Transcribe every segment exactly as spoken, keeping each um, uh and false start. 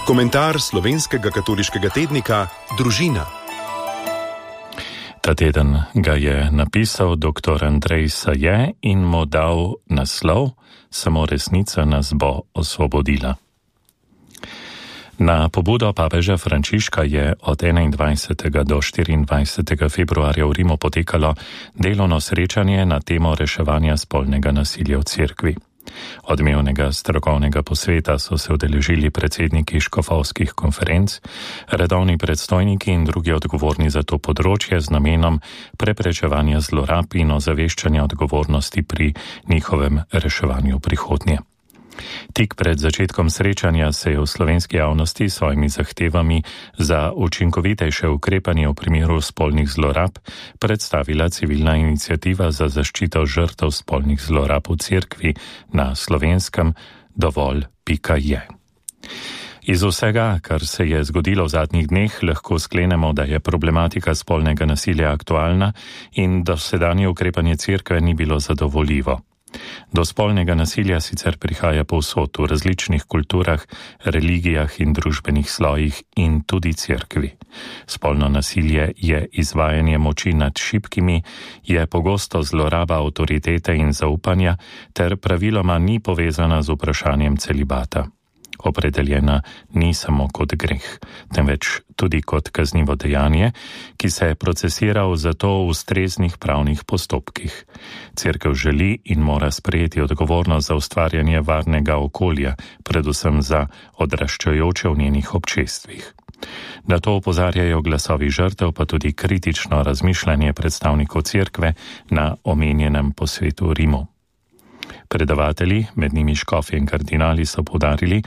Komentar slovenskega katoliškega tednika Družina. Ta teden ga je napisal dr. Andrej Saje in mu dal naslov Samo resnica nas bo osvobodila. Na pobudo papeža Frančiška je od enaindvajsetega do štiriindvajsetega februarja v Rimu potekalo delovno srečanje na temo reševanja spolnega nasilja v cerkvi. Odmevnega strokovnega posveta so se udeležili predsedniki škofovskih konferenc, redovni predstojniki in drugi odgovorni za to področje z namenom preprečevanja zlorab in ozaveščanja odgovornosti pri njihovem reševanju prihodnje. Tik pred začetkom srečanja se je v slovenski javnosti s svojimi zahtevami za učinkovitejše ukrepanje v primeru spolnih zlorab predstavila civilna iniciativa za zaščito žrtev spolnih zlorab v cerkvi na slovenskem dovolj pika je. Iz vsega, kar se je zgodilo v zadnjih dneh, lahko sklenemo, da je problematika spolnega nasilja aktualna in da dosedanje ukrepanje cerkve ni bilo zadovoljivo. Do spolnega nasilja sicer prihaja povsod v različnih kulturah, religijah in družbenih slojih in tudi cerkvi. Spolno nasilje je izvajanje moči nad šibkimi, je pogosto zloraba avtoritete in zaupanja ter praviloma ni povezana z vprašanjem celibata. Opredeljena ni samo kot greh, temveč tudi kot kaznivo dejanje, ki se procesira v zato ustreznih pravnih postopkih. Cerkev želi in mora sprejeti odgovornost za ustvarjanje varnega okolja, predvsem za odraščajoče v njenih občestvih. Na to opozarjajo glasovi žrtev, pa tudi kritično razmišljanje predstavnikov cerkve na omenjenem posvetu v Rimu. Predavatelji, med njimi škofje in kardinali, so poudarili,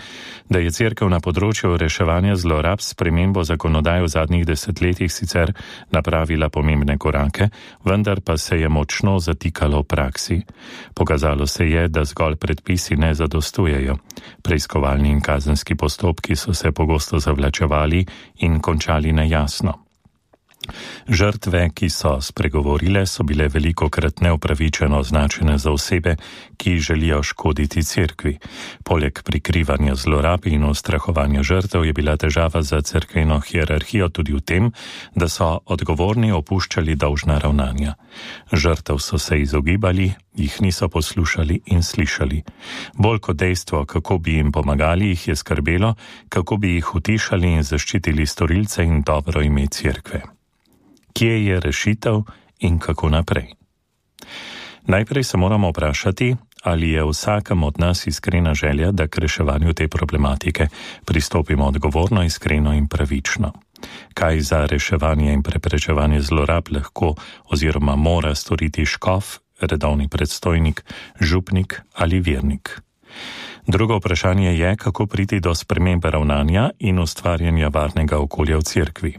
da je cerkev na področju reševanja zlorab s spremembo zakonodaje v zadnjih desetletjih sicer napravila pomembne korake, vendar pa se je močno zatikalo v praksi. Pokazalo se je, da zgolj predpisi ne zadostujejo. Preiskovalni in kazenski postopki so se pogosto zavlačevali in končali nejasno. Žrtve, ki so spregovorile, so bile velikokrat neupravičeno označene za osebe, ki želijo škoditi cerkvi. Poleg prikrivanja zlorab in ustrahovanja žrtev je bila težava za cerkveno hierarhijo tudi v tem, da so odgovorni opuščali dolžna ravnanja. Žrtev so se izogibali, jih niso poslušali in slišali. Bolj kot dejstvo, kako bi jim pomagali, jih je skrbelo, kako bi jih utišali in zaščitili storilce in dobro ime cerkve. Kje je rešitev in kako naprej? Najprej se moramo vprašati, ali je vsakem od nas iskrena želja, da k reševanju te problematike pristopimo odgovorno, iskreno in pravično. Kaj za reševanje in preprečevanje zlorab lahko oziroma mora storiti škof, redovni predstojnik, župnik ali vernik? Drugo vprašanje je, kako priti do spremembe ravnanja in ustvarjanja varnega okolja v cerkvi.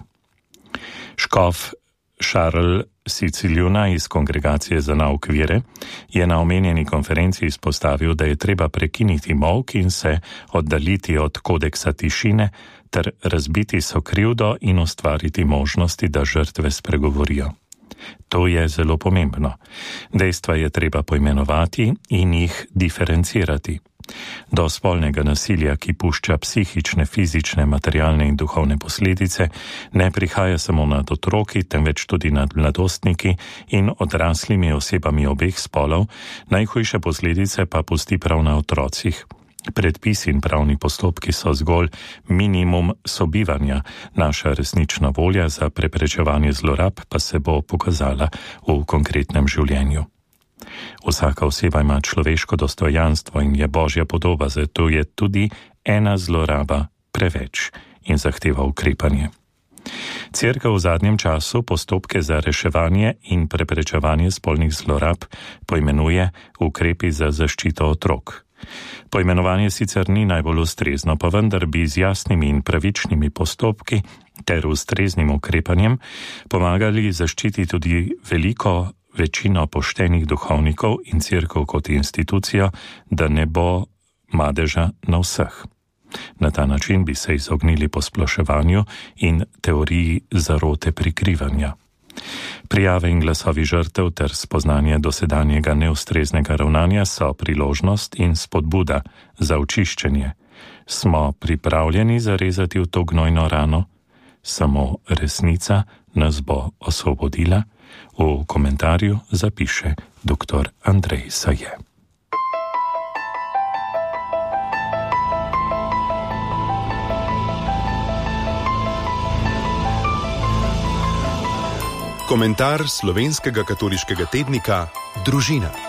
Škof Šarl Siciljuna iz Kongregacije za nauk vere je na omenjeni konferenci izpostavil, da je treba prekiniti molk in se oddaljiti od kodeksa tišine ter razbiti sokrivdo in ustvariti možnosti, da žrtve spregovorijo. To je zelo pomembno. Dejstva je treba poimenovati in jih diferencirati. Do spolnega nasilja, ki pušča psihične, fizične, materialne in duhovne posledice, ne prihaja samo nad otroki, temveč tudi nad mladostniki in odraslimi osebami obeh spolov, najhujše posledice pa pusti prav na otrocih. Predpisi in pravni postopki so zgolj minimum sobivanja, naša resnična volja za preprečevanje zlorab pa se bo pokazala v konkretnem življenju. Vsaka oseba ima človeško dostojanstvo in je Božja podoba, zato je tudi ena zloraba preveč in zahteva ukrepanje. Cerkev v zadnjem času postopke za reševanje in preprečevanje spolnih zlorab poimenuje ukrepi za zaščito otrok. Poimenovanje sicer ni najbolj ustrezno, pa vendar bi z jasnimi in pravičnimi postopki ter ustreznim ukrepanjem pomagali zaščititi tudi veliko večino poštenih duhovnikov in cerkev kot institucijo, da ne bo madeža na vseh. Na ta način bi se izognili posploševanju in teoriji zarote prikrivanja. Prijave in glasovi žrtev ter spoznanje dosedanjega neustreznega ravnanja so priložnost in spodbuda za očiščenje. Smo pripravljeni zarezati v to gnojno rano? Samo resnica nas bo osvobodila? V komentarju zapiše dr. Andrej Saje. Komentar slovenskega katoliškega tednika Družina.